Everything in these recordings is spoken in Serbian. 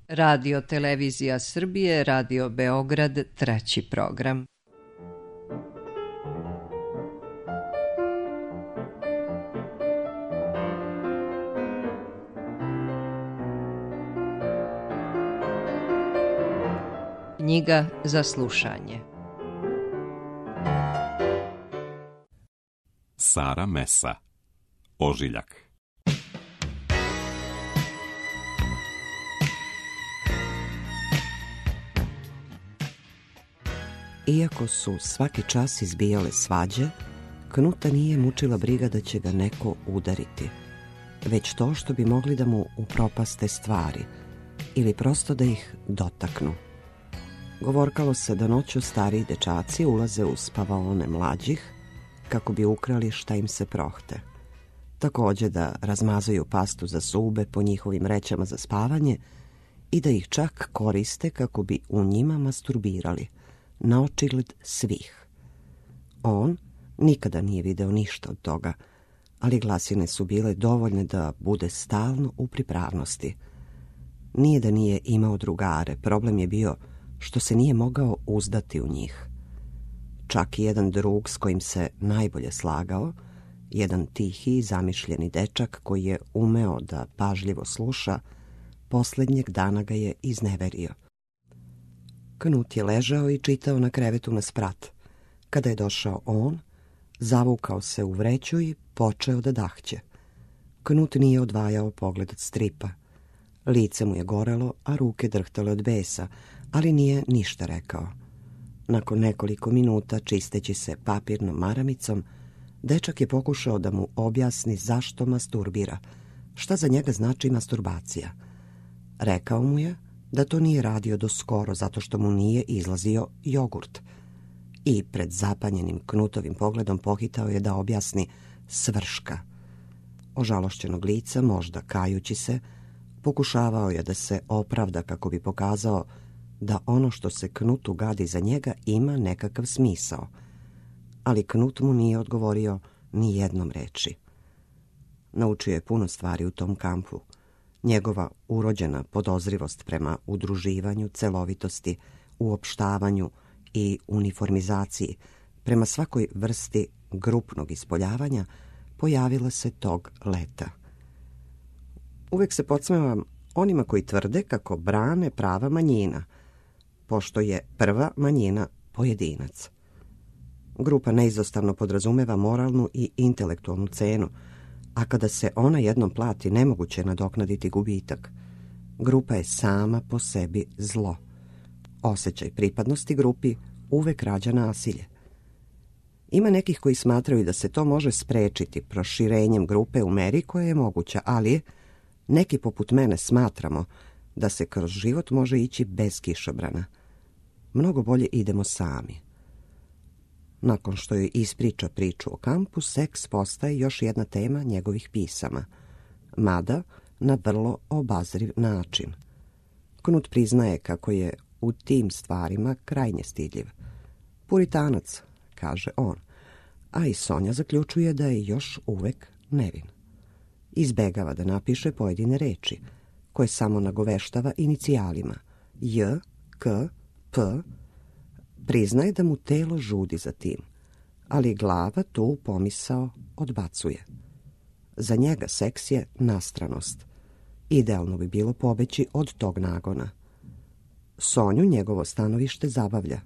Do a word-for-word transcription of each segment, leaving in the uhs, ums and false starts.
Radio Televizija Srbije, Radio Beograd, treći program. Knjiga za slušanje. Sara Mesa, Ožiljak. Iako su svaki čas izbijale svađe, Knuta nije mučila briga da će ga neko udariti, već to što bi mogli da mu upropaste stvari ili prosto da ih dotaknu. Govorkalo se da noću stariji dečaci ulaze u spavaone mlađih kako bi ukrali šta im se prohte. Također da razmazaju pastu za zube po njihovim vrećama za spavanje i da ih čak koriste kako bi u njima masturbirali, na očigled svih. On nikada nije video ništa od toga, ali glasine su bile dovoljne da bude stalno u pripravnosti. Nije da nije imao drugare, problem je bio što se nije mogao uzdati u njih. Čak i jedan drug s kojim se najbolje slagao, jedan tihi i zamišljeni dečak koji je umeo da pažljivo sluša, posljednjeg dana ga je izneverio. Knut je ležao i čitao na krevetu na sprat. Kada je došao on, zavukao se u vreću i počeo da dahće. Knut nije odvajao pogled od stripa. Lice mu je gorelo, a ruke drhtale od besa, ali nije ništa rekao. Nakon nekoliko minuta, čisteći se papirnom maramicom, dečak je pokušao da mu objasni zašto masturbira, šta za njega znači masturbacija. Rekao mu je da to nije radio do skoro zato što mu nije izlazio jogurt. I pred zapanjenim Knutovim pogledom pohitao je da objasni svrška. Ožalošćenog lica, možda kajući se, pokušavao je da se opravda kako bi pokazao da ono što se Knutu gadi za njega ima nekakav smisao. Ali Knut mu nije odgovorio ni jednom reči. Naučio je puno stvari u tom kampu. Njegova urođena podozrivost prema udruživanju, celovitosti, uopštavanju i uniformizaciji prema svakoj vrsti grupnog ispoljavanja pojavila se tog leta. Uvek se podsmevam onima koji tvrde kako brane prava manjina, pošto je prva manjina pojedinac. Grupa neizostavno podrazumeva moralnu i intelektualnu cenu, a kada se ona jednom plati, nemoguće je nadoknaditi gubitak. Grupa je sama po sebi zlo. Osjećaj pripadnosti grupi uvek rađa nasilje. Ima nekih koji smatraju da se to može sprečiti proširenjem grupe u meri koja je moguća, ali neki poput mene smatramo da se kroz život može ići bez kišobrana. Mnogo bolje idemo sami. Nakon što joj ispriča priču o kampu, seks postaje još jedna tema njegovih pisama, mada na vrlo obazriv način. Knut priznaje kako je u tim stvarima krajnje stidljiv. Puritanac, kaže on, a i Sonja zaključuje da je još uvek nevin. Izbegava da napiše pojedine reči, koje samo nagoveštava inicijalima J, K, P. Priznaje da mu telo žudi za tim, ali glava tu pomisao odbacuje. Za njega seks je nastranost. Idealno bi bilo pobeći od tog nagona. Sonju njegovo stanovište zabavlja.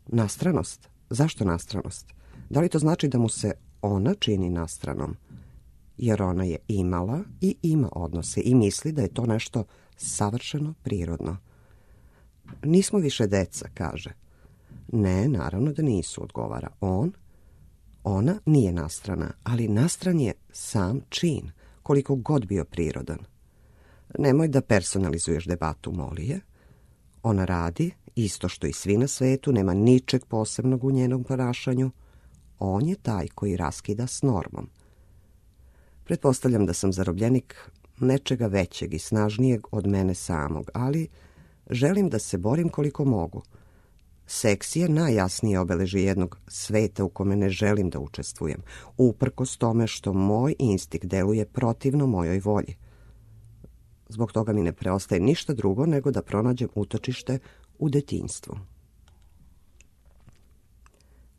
Nastranost? Zašto nastranost? Da li to znači da mu se ona čini nastranom? Jer ona je imala i ima odnose i misli da je to nešto savršeno prirodno. Nismo više deca, kaže. Ne, naravno da nisu, odgovara on. Ona nije nastrana, ali nastran je sam čin, koliko god bio prirodan. Nemoj da personalizuješ debatu, moli je. Ona radi, isto što i svi na svetu, nema ničeg posebnog u njenom ponašanju. On je taj koji raskida s normom. Pretpostavljam da sam zarobljenik nečega većeg i snažnijeg od mene samog, ali želim da se borim koliko mogu. Seks je najjasnije obeležje jednog sveta u kome ne želim da učestvujem, uprkos tome što moj instinkt deluje protivno mojoj volji. Zbog toga mi ne preostaje ništa drugo nego da pronađem utočište u detinjstvu.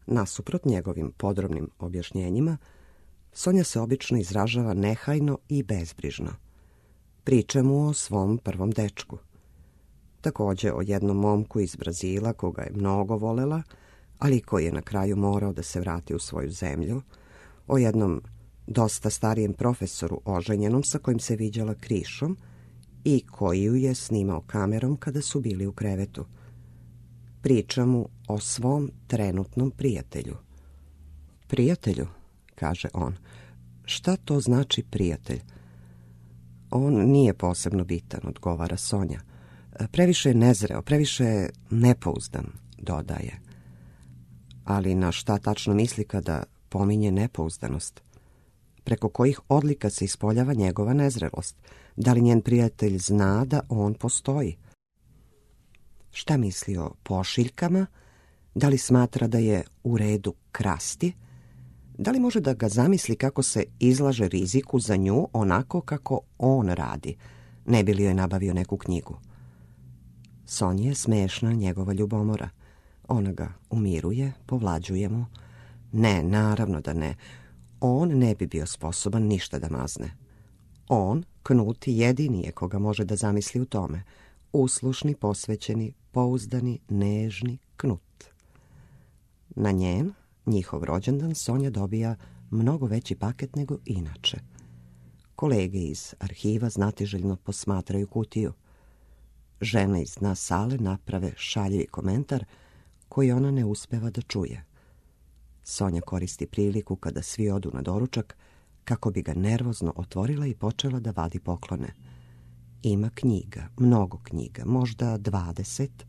Nasuprot njegovim podrobnim objašnjenjima, Sonja se obično izražava nehajno i bezbrižno. Priča mu o svom prvom dečku. Također o jednom momku iz Brazila koga je mnogo volela, ali koji je na kraju morao da se vrati u svoju zemlju, o jednom dosta starijem profesoru oženjenom sa kojim se viđala krišom i koji ju je snimao kamerom kada su bili u krevetu. Priča mu o svom trenutnom prijatelju. Prijatelju, kaže on. Šta to znači prijatelj? On nije posebno bitan, odgovara Sonja. Previše je nezreo, previše je nepouzdan, dodaje. Ali na šta tačno misli kada pominje nepouzdanost? Preko kojih odlika se ispoljava njegova nezrelost? Da li njen prijatelj zna da on postoji? Šta misli o pošiljkama? Da li smatra da je u redu krasti? Da li može da ga zamisli kako se izlaže riziku za nju onako kako on radi? Ne bi li joj nabavio neku knjigu? Sonji je smešna njegova ljubomora. Ona ga umiruje, povlađuje mu. Ne, naravno da ne. On ne bi bio sposoban ništa da mazne. On, Knut, jedini je koga može da zamisli u tome. Uslušni, posvećeni, pouzdani, nežni Knut. Na njen, njihov rođendan, Sonja dobija mnogo veći paket nego inače. Kolege iz arhiva znatiželjno posmatraju kutiju. Žena iz dna sale naprave šaljivi komentar koji ona ne uspeva da čuje. Sonja koristi priliku kada svi odu na doručak kako bi ga nervozno otvorila i počela da vadi poklone. Ima knjiga, mnogo knjiga, možda dvadeset.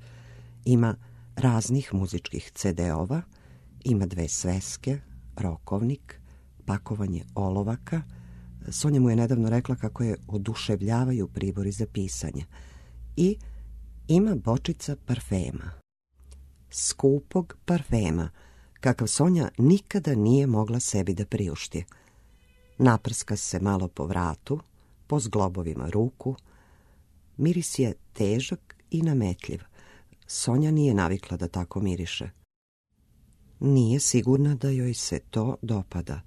Ima raznih muzičkih ce-de-ova, ima dve sveske, rokovnik, pakovanje olovaka. Sonja mu je nedavno rekla kako je oduševljavaju pribori za pisanje. I ima bočica parfema. Skupog parfema, kakav Sonja nikada nije mogla sebi da priušti. Naprska se malo po vratu, po zglobovima ruku. Miris je težak i nametljiv. Sonja nije navikla da tako miriše. Nije sigurna da joj se to dopada.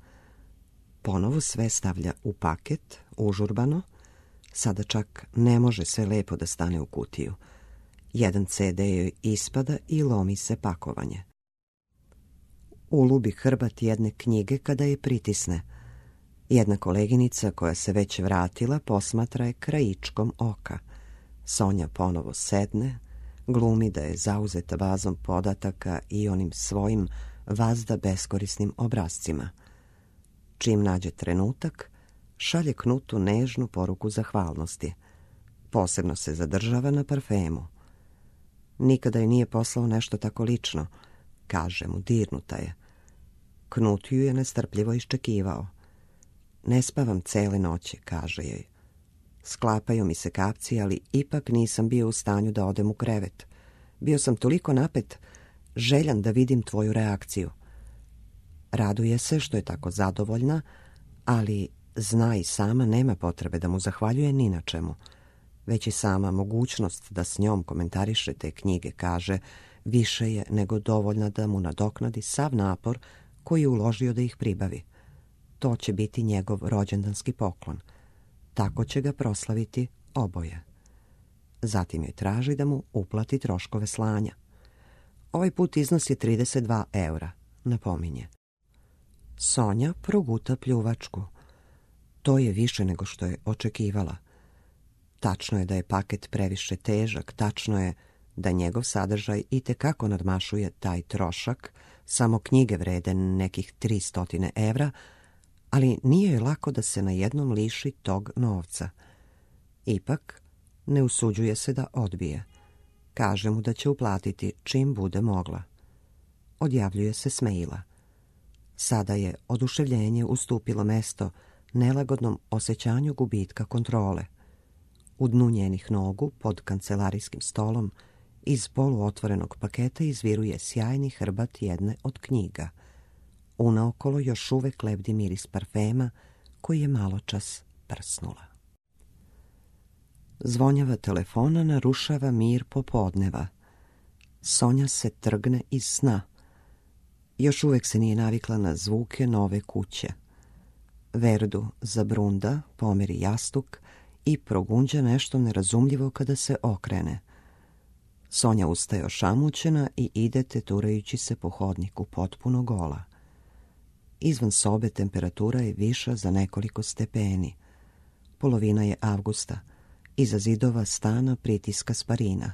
Ponovo sve stavlja u paket, užurbano. Sada čak ne može sve lepo da stane u kutiju. Jedan ce-de joj ispada i lomi se pakovanje. Ulubi hrbat jedne knjige kada je pritisne. Jedna koleginica koja se već vratila posmatra je krajičkom oka. Sonja ponovo sedne, glumi da je zauzeta vazom podataka i onim svojim vazda beskorisnim obrazcima. Čim nađe trenutak, šalje Knutu nežnu poruku zahvalnosti. Posebno se zadržava na parfemu. Nikada joj nije poslao nešto tako lično, kaže mu, dirnuta je. Knut ju je nestrpljivo iščekivao. Ne spavam cele noći, kaže joj. Sklapaju mi se kapci, ali ipak nisam bio u stanju da odem u krevet. Bio sam toliko napet, željan da vidim tvoju reakciju. Raduje se što je tako zadovoljna, ali zna i sama nema potrebe da mu zahvaljuje ni na čemu. Već i sama mogućnost da s njom komentariše te knjige, kaže, više je nego dovoljna da mu nadoknadi sav napor koji je uložio da ih pribavi. To će biti njegov rođendanski poklon. Tako će ga proslaviti oboje. Zatim joj traži da mu uplati troškove slanja. Ovaj put iznosi trideset dva eura, napominje. Sonja proguta pljuvačku. To je više nego što je očekivala. Tačno je da je paket previše težak, tačno je da njegov sadržaj itekako nadmašuje taj trošak, samo knjige vrede nekih tristo evra, ali nije joj lako da se na jednom liši tog novca. Ipak, ne usuđuje se da odbije. Kaže mu da će uplatiti čim bude mogla. Odjavljuje se s maila. Sada je oduševljenje ustupilo mesto nelagodnom osjećanju gubitka kontrole. U dnu njenih nogu, pod kancelarijskim stolom, iz poluotvorenog paketa izviruje sjajni hrbat jedne od knjiga. Unaokolo još uvek lebdi miris parfema koji je maločas prsnula. Zvonjava telefona narušava mir popodneva. Sonja se trgne iz sna. Još uvek se nije navikla na zvuke nove kuće. Verdu zabrunda, pomeri jastuk i progunđa nešto nerazumljivo kada se okrene. Sonja ustaje ošamućena i ide teturajući se po hodniku, potpuno gola. Izvan sobe temperatura je viša za nekoliko stepeni. Polovina je avgusta. Iza zidova stana pritiska sparina.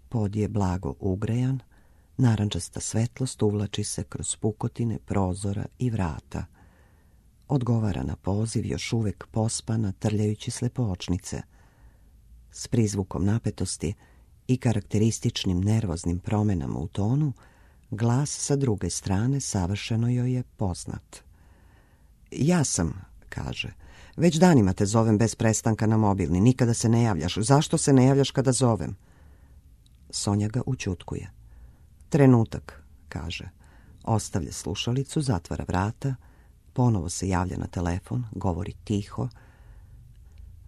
Pod je blago ugrejan, narandžasta svetlost uvlači se kroz pukotine prozora i vrata. Odgovara na poziv, još uvek pospana, trljajući slepočnice. S prizvukom napetosti i karakterističnim nervoznim promenama u tonu, glas sa druge strane savršeno joj je poznat. Ja sam, kaže, već danima te zovem bez prestanka na mobilni, nikada se ne javljaš. Zašto se ne javljaš kada zovem? Sonja ga ućutkuje. Trenutak, kaže. Ostavlja slušalicu, zatvara vrata, ponovo se javlja na telefon, govori tiho.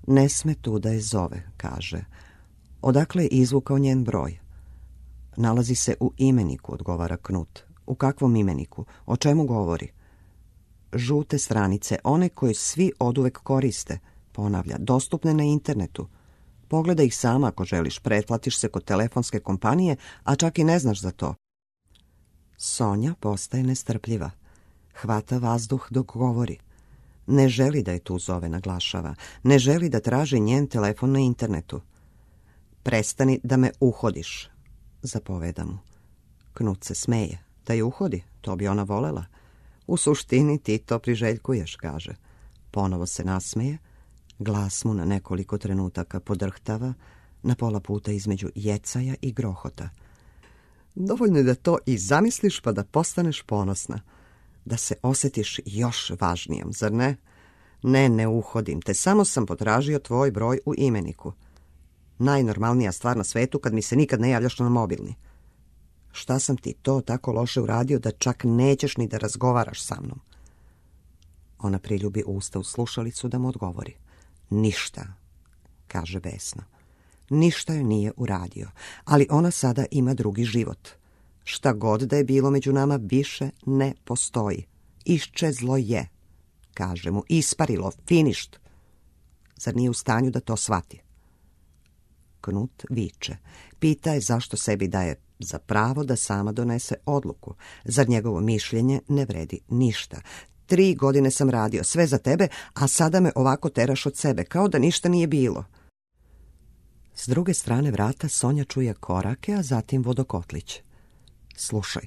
Ne sme tu da je zove, kaže. Odakle je izvukao njen broj? Nalazi se u imeniku, odgovara Knut. U kakvom imeniku? O čemu govori? Žute stranice, one koje svi oduvek koriste, ponavlja, dostupne na internetu. Pogledaj ih sama ako želiš, pretplatiš se kod telefonske kompanije, a čak i ne znaš za to. Sonja postaje nestrpljiva. Hvata vazduh dok govori. Ne želi da je tu zove, naglašava. Ne želi da traži njen telefon na internetu. Prestani da me uhodiš, zapoveda mu. Knut se smeje. Da je uhodi, to bi ona volela. U suštini ti to priželjkuješ, kaže. Ponovo se nasmeje. Glas mu na nekoliko trenutaka podrhtava, na pola puta između jecaja i grohota. Dovoljno je da to i zamisliš pa da postaneš ponosna. Da se osjetiš još važnijom, zar ne? Ne, ne uhodim te, samo sam potražio tvoj broj u imeniku. Najnormalnija stvar na svetu kad mi se nikad ne javljaš na mobilni. Šta sam ti to tako loše uradio da čak nećeš ni da razgovaraš sa mnom? Ona priljubi usta u slušalicu da mu odgovori. Ništa, kaže besno. Ništa joj nije uradio, ali ona sada ima drugi život. Šta god da je bilo među nama više ne postoji. Iščezlo je, kaže mu, isparilo, finišt. Zar nije u stanju da to shvati? Knut viče. Pita je zašto sebi daje za pravo da sama donese odluku. Zar njegovo mišljenje ne vredi ništa. Tri godine sam radio, sve za tebe, a sada me ovako teraš od sebe, kao da ništa nije bilo. S druge strane vrata Sonja čuje korake, a zatim vodokotlić. Slušaj,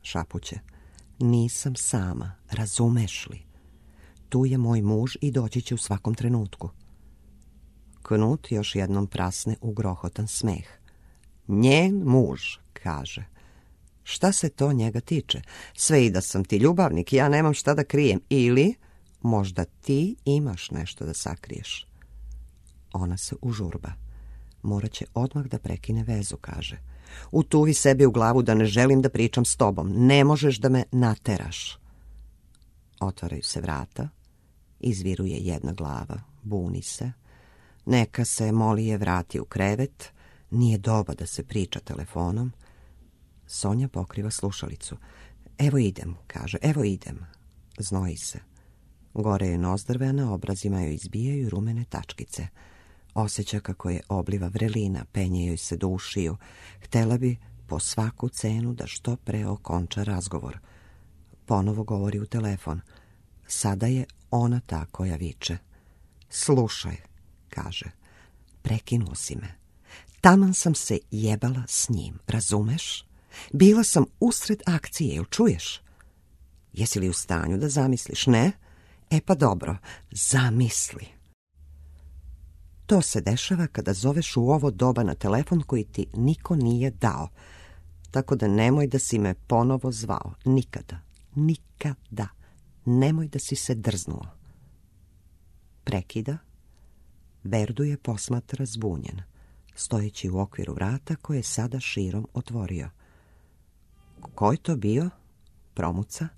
šapuće, nisam sama, razumeš li? Tu je moj muž i doći će u svakom trenutku. Knut još jednom prasne u grohotan smeh. Njen muž, kaže. Šta se to njega tiče? Sve i da sam ti ljubavnik, ja nemam šta da krijem. Ili možda ti imaš nešto da sakriješ. Ona se užurba. Morat će odmah da prekine vezu, kaže. Utuvi sebi u glavu da ne želim da pričam s tobom. Ne možeš da me nateraš. Otvaraju se vrata. Izviruje jedna glava. Buni se. Neka se Molije vrati u krevet. Nije doba da se priča telefonom. Sonja pokriva slušalicu. Evo idem, kaže, evo idem. Znoji se. Gore je nozdrve, a na obrazima joj izbijaju rumene tačkice. Osjeća kako je obliva vrelina, penje joj se do ušiju. Htela bi po svaku cenu da što pre okonča razgovor. Ponovo govori u telefon. Sada je ona ta koja viče. Slušaj, kaže, prekinuo si me. Taman sam se jebala s njim, razumeš? Bila sam usred akcije, jel čuješ? Jesi li u stanju da zamisliš, ne? E pa dobro, zamisli. To se dešava kada zoveš u ovo doba na telefon koji ti niko nije dao. Tako da nemoj da si me ponovo zvao. Nikada, nikada. Nemoj da si se drznuo. Prekida. Verdu je posmatra zbunjen, stojeći u okviru vrata koje je sada širom otvorio. Ko je to bio? Promuca?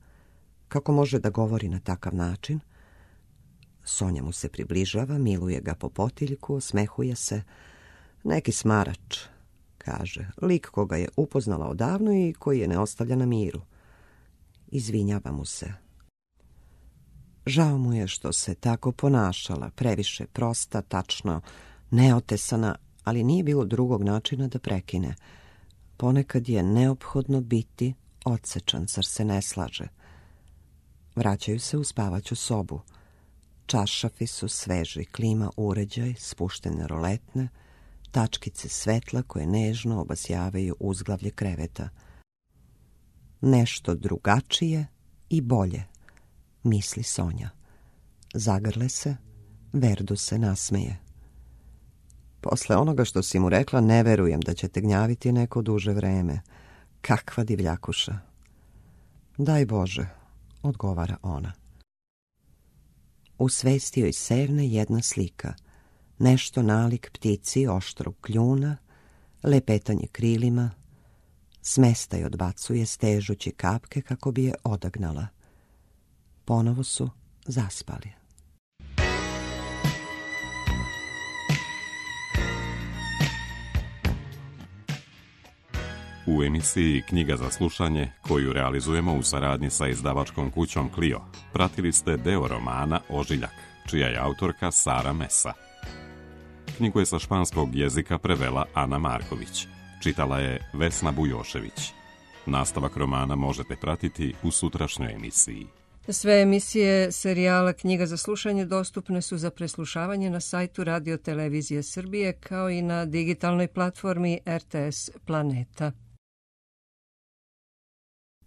Kako može da govori na takav način? Sonja mu se približava, miluje ga po potiljku, osmehuje se. Neki smarač, kaže, lik koga je upoznala odavno i koji je ne ostavlja na miru. Izvinjava mu se. Žao mu je što se tako ponašala, previše prosta, tačno, neotesana, ali nije bilo drugog načina da prekine. Ponekad je neophodno biti odsečan, zar se ne slaže. Vraćaju se u spavaću sobu. Čaršafi su sveži, klima uređaj, spuštene roletne, tačkice svetla koje nežno obasjavaju uzglavlje kreveta. Nešto drugačije i bolje, misli Sonja. Zagrle se, Verdu se nasmeje. Posle onoga što si mu rekla, ne verujem da će te gnjaviti neko duže vreme. Kakva divljakuša. Daj Bože, odgovara ona. U svesti joj sevne jedna slika. Nešto nalik ptici oštrog kljuna, lepetanje krilima, smesta i odbacuje stežući kapke kako bi je odagnala. Ponovo su zaspali. U emisiji Knjiga za slušanje, koju realizujemo u saradnji sa izdavačkom kućom Clio, pratili ste deo romana Ožiljak, čija je autorka Sara Mesa. Knjigu je sa španskog jezika prevela Ana Marković. Čitala je Vesna Bujošević. Nastavak romana možete pratiti u sutrašnjoj emisiji. Sve emisije serijala Knjiga za slušanje dostupne su za preslušavanje na sajtu Radio Televizije Srbije kao i na digitalnoj platformi R T S Planeta.